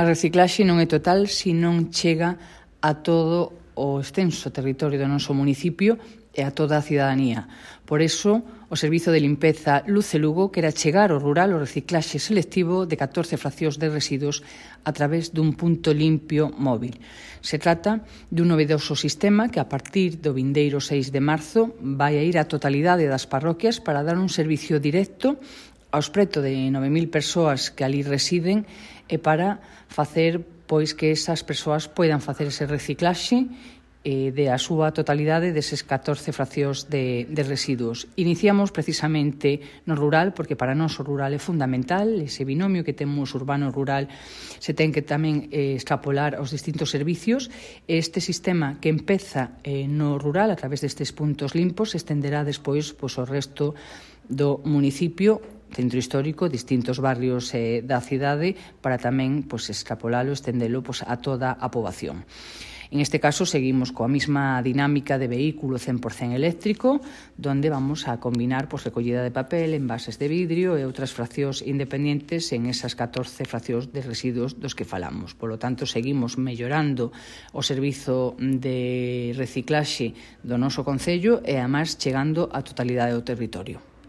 A reciclaxe non é total se non chega a todo o extenso territorio do noso municipio e a toda a cidadanía. Por iso, o Servizo de Limpeza Luce Lugo quere chegar ao rural o reciclaxe selectivo de 14 fraccións de residuos a través dun punto limpio móvil. Se trata dun novedoso sistema que a partir do vindeiro 6 de marzo vai a ir á totalidade das parroquias para dar un servicio directo aos preto de 9.000 persoas que ali residen e para facer pois que esas persoas poidan facer ese reciclaxe de a súa totalidade deses 14 fraccións de residuos. Iniciamos precisamente no rural, porque para nós o rural é fundamental, ese binomio que temos urbano-rural se ten que tamén extrapolar aos distintos servicios. Este sistema que empeza no rural a través destes puntos limpos se estenderá despois ao resto do municipio, centro histórico, distintos barrios da cidade, para tamén extrapolalo, estendelo a toda a poboación. En este caso, seguimos coa mesma dinámica de vehículo 100% eléctrico, donde vamos a combinar recollida de papel, envases de vidrio e outras fraccións independentes en esas 14 fraccións de residuos dos que falamos. Por lo tanto, seguimos mellorando o servizo de reciclaxe do noso concello e, además, chegando á totalidade do territorio.